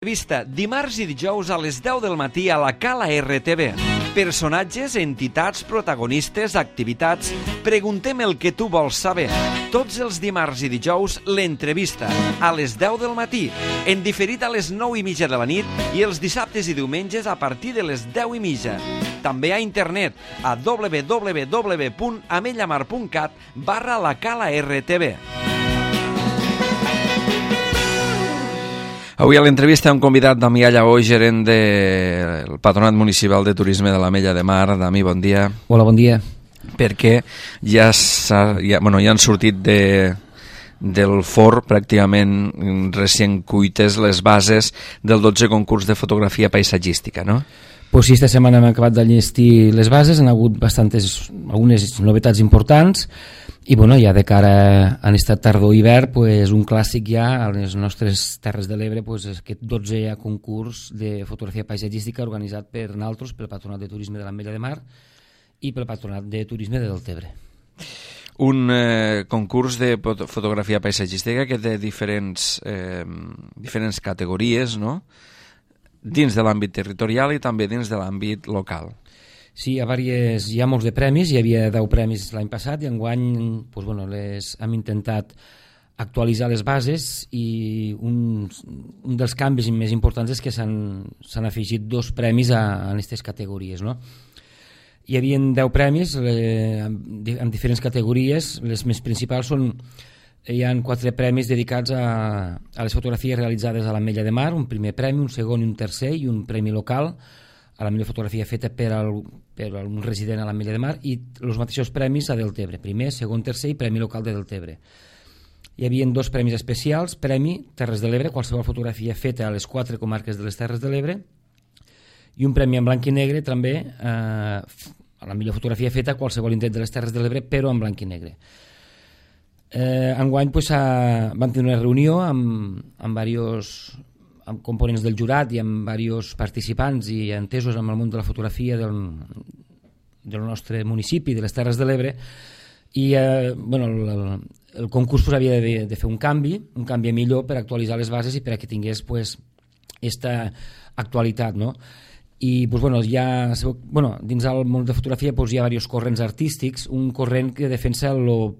Vista dimarts i dijous a les 10 del matí a la Cala RTV. Personatges, entitats, protagonistes, activitats... Preguntem el que tu vols saber. Tots els dimarts i dijous, l'entrevista, a les 10 del matí, en diferit a les 9:30 de la nit i els dissabtes i diumenges a partir de les 10:30. També a internet a www.amellamar.cat/la Cala RTV. Avui a l'entrevista hem convidat Damià Lleó, gerent del Patronat Municipal de Turisme de l'Ametlla de Mar. Dami, bon dia. Hola, bon dia. Perquè ja han sortit del forn pràcticament recient cuites les bases del 12è concurs de fotografia paisatgística, no? Pues sí, esta setmana hem acabat d'enllestir les bases, han hagut algunes novetats importants i bueno, ja de cara a aquesta tardor-hivern, pues, un clàssic ja a les nostres Terres de l'Ebre, pues, aquest 12è concurs de fotografia paisatgística organitzat per nosaltres, pel Patronat de Turisme de l'Ametlla de Mar i pel Patronat de Turisme de Deltebre. Un concurs de fotografia paisatgística que té diferents categories, no?, dins de l'àmbit territorial i també dins de l'àmbit local. Sí, hi ha molts de premis, hi havia 10 premis l'any passat i enguany pues, bueno, hem intentat actualitzar les bases i un dels canvis més importants és que s'han afegit 2 premis a aquestes categories, no? Hi havia 10 premis en diferents categories, les més principals són... Hi ha 4 premis dedicats a les fotografies realitzades a l'Ametlla de Mar, un primer premi, un segon i un tercer, i un premi local a la millor fotografia feta per un resident a l'Ametlla de Mar, i els mateixos premis a Deltebre, primer, segon, tercer i premi local de Deltebre. Hi havia 2 premis especials, premi Terres de l'Ebre, qualsevol fotografia feta a les 4 comarques de les Terres de l'Ebre, i un premi en blanc i negre també a la millor fotografia feta a qualsevol indret de les Terres de l'Ebre, però en blanc i negre. Enguany pues, vam tenir una reunió amb components del jurat i amb diversos participants i entesos amb el món de la fotografia del nostre municipi, de les Terres de l'Ebre, i el concurs pues, havia de fer un canvi a millor per actualitzar les bases i per a que tingués pues, esta actualitat, no? I pues, dins del món de fotografia pues, hi ha diversos corrents artístics, un corrent que defensa el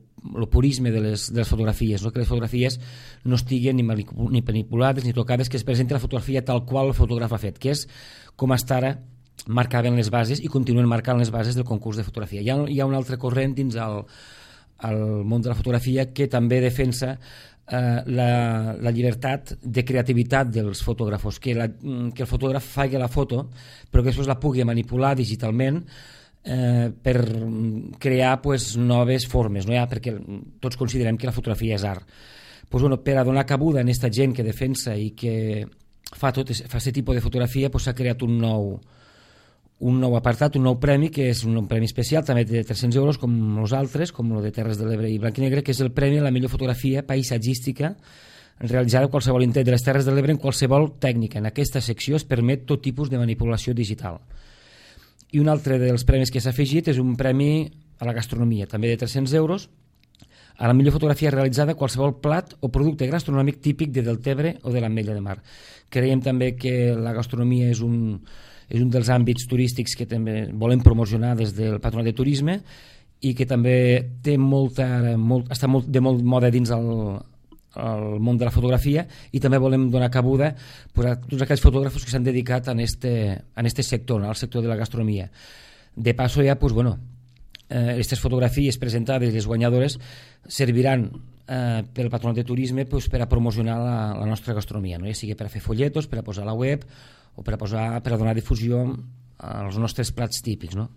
purisme de les fotografies, no? Que les fotografies no estiguin ni manipulades ni tocades, que es presenti la fotografia tal qual el fotògraf ha fet, que és com fins ara marcaven les bases i continuen marcant les bases del concurs de fotografia. Hi ha un altre corrent dins el món de la fotografia que també defensa la llibertat de creativitat dels fotògrafos, que el fotògraf faci la foto però que després la pugui manipular digitalment per crear pues, noves formes, no? Perquè tots considerem que la fotografia és art. Pues, per a donar cabuda a aquesta gent que defensa i que fa aquest tipus de fotografia s'ha creat un nou apartat, un nou premi, que és un premi especial, també de 300 euros, com els altres, com el de Terres de l'Ebre i Blanc i Negre, que és el premi a la millor fotografia paisatgística realitzada a qualsevol indret de les Terres de l'Ebre en qualsevol tècnica. En aquesta secció es permet tot tipus de manipulació digital. I un altre dels premis que s'ha afegit és un premi a la gastronomia, també de 300 euros, a la millor fotografia realitzada a qualsevol plat o producte gastronòmic típic de Deltebre o de l'Ametlla de Mar. Creiem també que la gastronomia és un dels àmbits turístics que també volem promocionar des del Patronat de Turisme i que també està molt de moda dins el món de la fotografia, i també volem donar cabuda a tots aquells fotògrafos que s'han dedicat a este sector, al sector de la gastronomia. De passo ja, aquestes fotografies presentades, les guanyadores, serviran pel Patronat de Turisme per a promocionar la nostra gastronomia, no? Ja sigui per a fer folletos, per a posar a la web o per a donar difusió als nostres plats típics, no?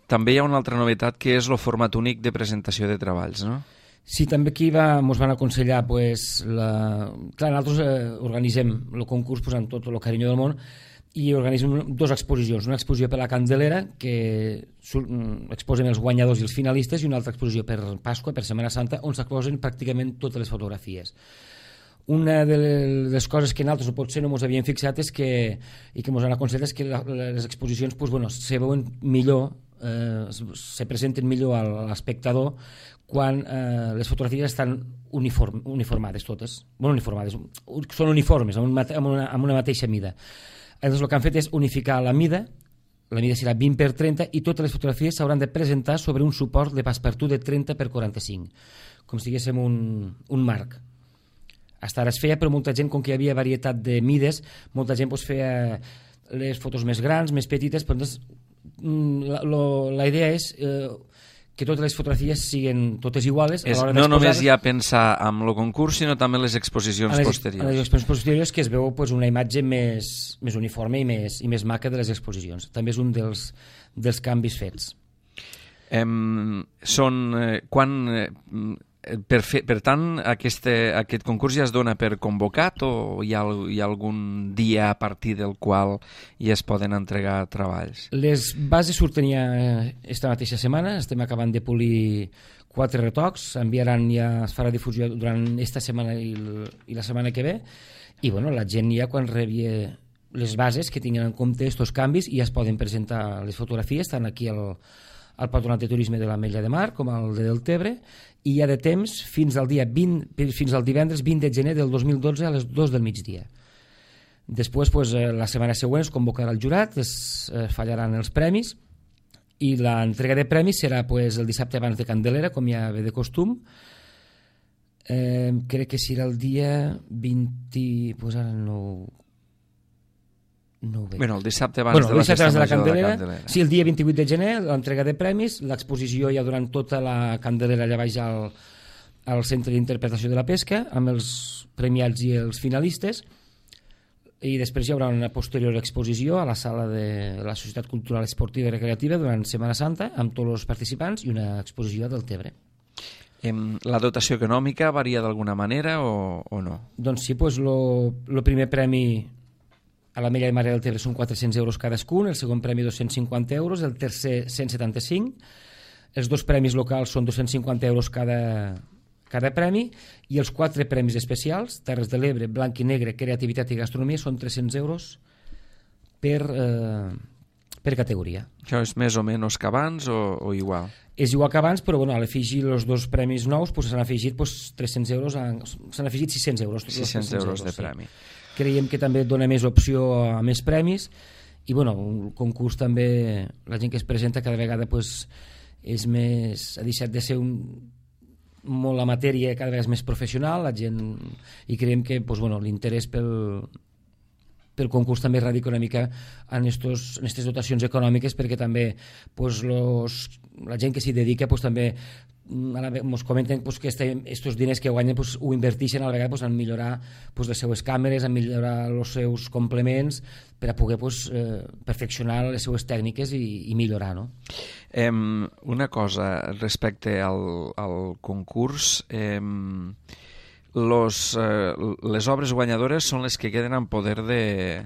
També hi ha una altra novetat que és el format únic de presentació de treballs, no? Sí, també aquí ens van aconsellar, nosaltres organitzem el concurs amb tot el carinyo del món i organitzem 2 exposicions, una exposició per la Candelera, que exposem els guanyadors i els finalistes, i una altra exposició per Pasqua, per Setmana Santa, on s'exposen pràcticament totes les fotografies. Una de les coses que nosaltres potser no ens havíem fixat i que ens han aconsellat és que les exposicions se veuen millor se presenten millor a l'espectador quan les fotografies estan uniformades totes. Bueno, uniformades, són uniformes, amb una mateixa mida. Llavors el que han fet és unificar la mida serà 20x30 i totes les fotografies s'hauran de presentar sobre un suport de passepartout de 30x45, com si diguéssim un marc. Fins ara es feia, però molta gent, com que hi havia varietat de mides, molta gent feia les fotos més grans, més petites, però la idea és que totes les fotografies siguin totes iguales. No només ja pensar en el concurs, sinó també en les exposicions posteriors. En les exposicions posteriors, que es veu una imatge més uniforme i més maca de les exposicions. També és un dels canvis fets. Per tant, aquest concurs ja es dona per convocat o hi ha algun dia a partir del qual ja es poden entregar treballs? Les bases surten ja esta mateixa setmana, estem acabant de polir 4 retocs, es farà difusió durant esta setmana i la setmana que ve, i la gent ja quan rebi les bases que tinguin en compte aquests canvis ja es poden presentar les fotografies, tant aquí al Patronat de Turisme de l'Ametlla de Mar com al de Deltebre, i hi ha de temps fins al divendres 20 de gener del 2012 a les 2 del migdia. Després, la setmana següent es convocarà el jurat, es fallaran els premis i l'entrega de premis serà el dissabte abans de Candelera, com ja ve de costum. Crec que serà el dia 20... ara no ho veig. El dissabte abans de la festa major de la Candelera. Sí, el dia 28 de gener, l'entrega de premis, l'exposició ja durant tota la Candelera allà baix al Centre d'Interpretació de la Pesca, amb els premiats i els finalistes, i després hi haurà una posterior exposició a la sala de la Societat Cultural Esportiva i Recreativa durant Setmana Santa, amb tots els participants, i una exposició del Tebre. La dotació econòmica varia d'alguna manera o no? Doncs sí, el primer premi a l'Ametlla de Mar i del Tebre són 400 euros cadascun, el segon premi 250 euros, el tercer 175, els 2 premis locals són 250 euros cada premi, i els 4 premis especials, Terres de l'Ebre, Blanc i Negre, Creativitat i Gastronomia, són 300 euros per categoria. Això és més o menys que abans o igual? És igual que abans, però a l'afegir els 2 premis nous s'han afegit 300 euros, s'han afegit 600 euros. 600 euros de premi. Sí. Creiem que també dona més opció a més premis i un concurs també, la gent que es presenta cada vegada és més, ha deixat de ser molt la matèria, cada vegada és més professional la gent, i creiem que l'interès pel concurs també radica una mica en aquestes dotacions econòmiques, perquè també la gent que s'hi dedica també ens comenten que aquests diners que guanyen ho inverteixen a la vegada en millorar les seues càmeres, en millorar els seus complements per a poder perfeccionar les seues tècniques i millorar, no? Una cosa respecte al concurs, les obres guanyadores són les que queden en poder de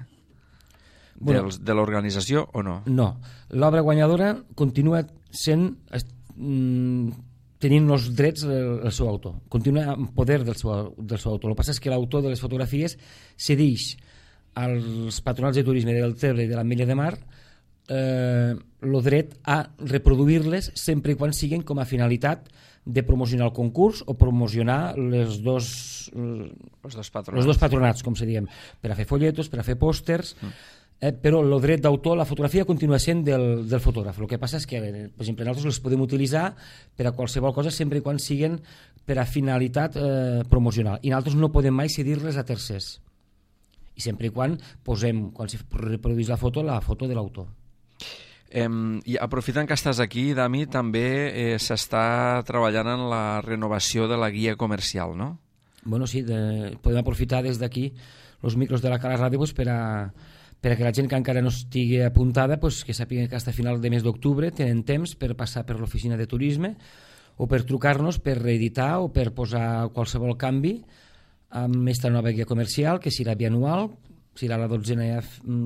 l'organització o no? No, l'obra guanyadora continua sent tenint els drets el seu autor, continua en poder del seu autor. El que passa és que l'autor de les fotografies cedeix als patronats de turisme del Tebre i de l'Ametlla de Mar el dret a reproduir-les sempre i quan siguin com a finalitat de promocionar el concurs o promocionar els dos patronats, com se diem, per a fer folletos, per a fer pòsters, però el dret d'autor, la fotografia continua sent del fotògraf. El que passa és que, per exemple, nosaltres les podem utilitzar per a qualsevol cosa sempre i quan siguin per a finalitat promocional, i nosaltres no podem mai cedir-les a tercers, i sempre i quan posem, quan se reprodueix la foto de l'autor. I aprofitant que estàs aquí, Dami, també s'està treballant en la renovació de la guia comercial, no? Bueno, sí, podem aprofitar des d'aquí els micros de la Cala Ràdio per a que la gent que encara no estigui apuntada que sàpiga que fins a final de mes d'octubre tenen temps per passar per l'oficina de turisme o per trucar-nos per reeditar o per posar qualsevol canvi amb aquesta nova guia comercial, que serà bianual, serà la 12a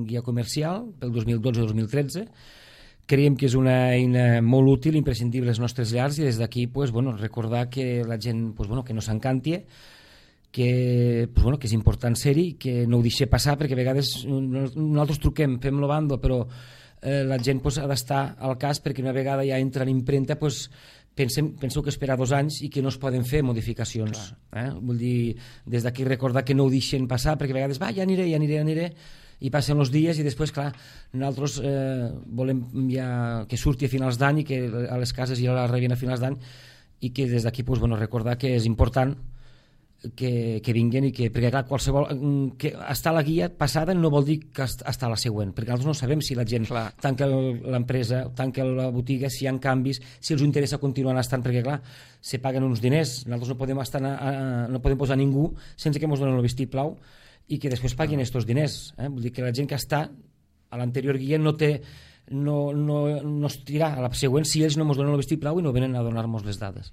guia comercial pel 2012-2013. Creiem que és una eina molt útil, imprescindible als nostres llars, i des d'aquí recordar que la gent que no s'encanti, que és important ser-hi, que no ho deixi passar, perquè a vegades nosaltres truquem, fem el bando, però la gent ha d'estar al cas, perquè una vegada ja entra en impremta penso que esperar 2 anys i que no es poden fer modificacions. Vull dir, des d'aquí recordar que no ho deixen passar, perquè a vegades ja aniré, i passen els dies i després, clar, nosaltres volem ja que surti a finals d'any i que a les cases ja la rebin a finals d'any, i que des d'aquí recordar que és important que vinguin, i perquè clar, qualsevol que està a la guia passada no vol dir que està a la següent, perquè nosaltres no sabem si la gent tanca l'empresa, tanca la botiga, si hi ha canvis, si els interessa continuar estant, perquè clar, se paguen uns diners, nosaltres no podem posar ningú sense que ens donen el vistiplau i que després paguin aquests diners. Vull dir que la gent que està a l'anterior guia no es tirà a la següent si ells no ens donen el vistiplau i no venen a donar-nos les dades.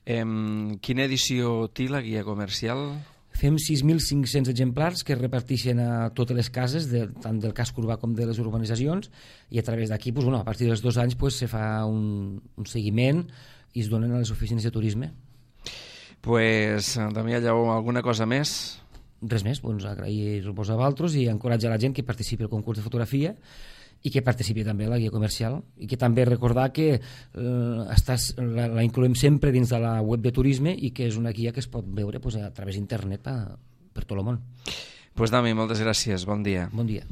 Quina edició té la guia comercial? Fem 6.500 exemplars que es reparteixen a totes les cases, tant del casc urbà com de les urbanitzacions, i a través d'aquí, a partir dels 2 anys, se fa un seguiment i es donen a les oficines de turisme. Damià Lleó, alguna cosa més? Res més, agrair-vos a vosaltres i encoratjar la gent que participi al concurs de fotografia i que participi també a la guia comercial, i que també recordar que la incloem sempre dins de la web de turisme i que és una guia que es pot veure a través d'internet per tot el món. Dami, moltes gràcies, bon dia. Bon dia.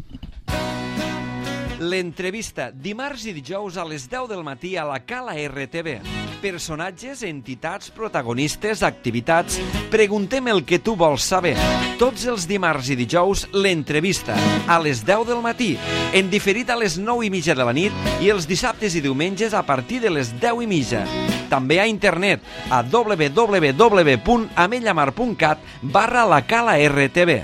L'entrevista, dimarts i dijous a les 10 del matí a la Cala RTV. Personatges, entitats, protagonistes, activitats. Preguntem el que tu vols saber. Tots els dimarts i dijous, l'entrevista, a les 10 del matí, en diferit a les 9:30 de la nit i els dissabtes i diumenges a partir de les 10:30. També a internet a www.amellamar.cat/la Cala RTV.